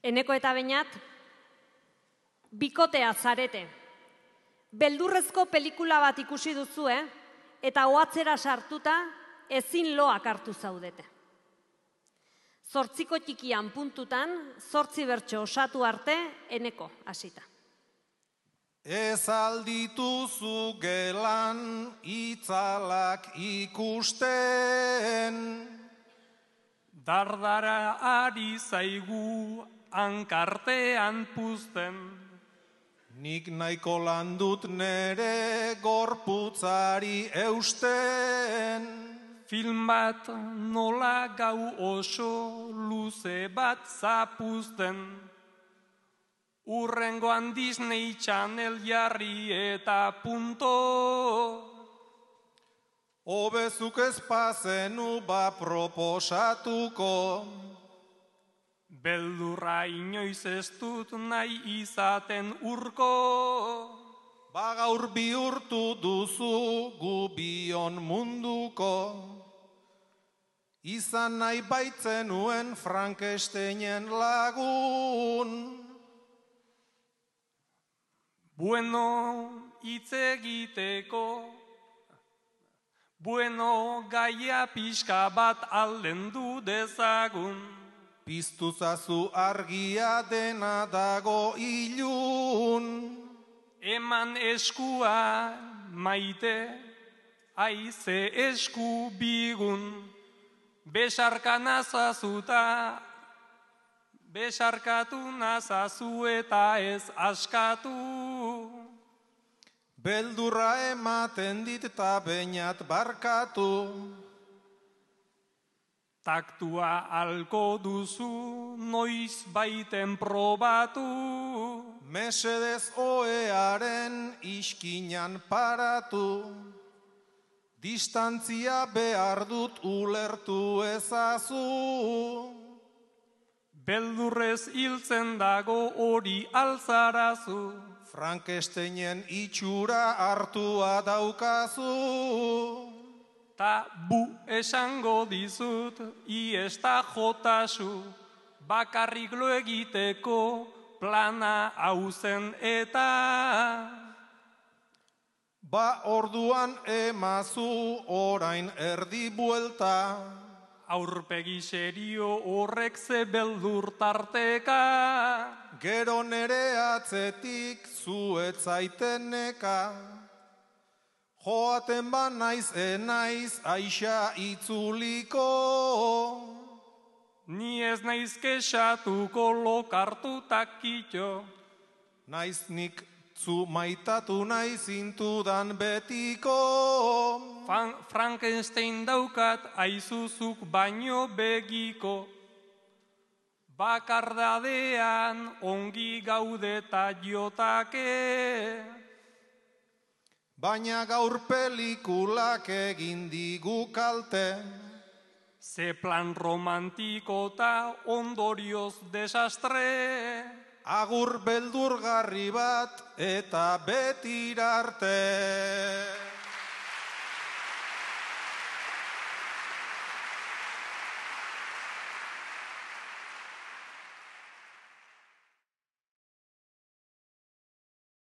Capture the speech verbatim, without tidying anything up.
Eneko eta Beñat, bikotea zarete. Beldurrezko pelikula bat ikusi duzue, eta ohatzera sartuta ezin loak hartu zaudete. Zortziko txikian puntutan, zortzi bertso osatu arte, Eneko hasita. Ez aldituzu gelan itzalak ikusten, dardara ari zaigu hankartean puzten. Nik nahiko landut nere gorputzari eusten. Film bat nola gau oso luze bat zapuzten. Urrengoan Disney Channel jarri eta punto. Hobezuk ez bazenu ba proposatuko. Beldurra inoiz ez dut nahi izaten urko. Ba gaur bihurtu duzu gu bion munduko. Izan nahi baitzenuen Frankensteinen lagun. Bueno, hitz egiteko, bueno, gaia pixka bat aldendu dezagun. Piztuzazu argia dena dago ilun. Eman eskua maite, aize esku bigun. Besarka nazazuta, besarkatu nazazu eta ez askatu. Beldurra ematen dit eta Beñat barkatu. Taktua alko duzu, noiz baiten probatu. Mesedez oearen iskinan paratu. Distantzia behar dut ulertu ezazu. Beldurrez hiltzen dago hori alzarazu. Frankensteinen itxura hartua daukazu. Ta bu esango dizut, iesta jotasu, bakarrik lo egiteko plana hauzen eta. Ba orduan emazu orain erdi buelta. Aurpegi serio horrek ze beldur tarteka. Gero nere atzetik zuet zaiteneka. Joaten ba naiz enaiz aixa itzuliko. Ni ez naiz kexatuko lokartu takitxo. Naiz nik zu maitatu naiz intudan betiko. Fan, Frankenstein daukat aizuzuk baino begiko. Bakardadean ongi gaudeta jotake. Baina gaur pelikulak egin digu kalte. Ze plan romantiko eta ondorioz desastre. Agur beldurgarri bat eta betirarte.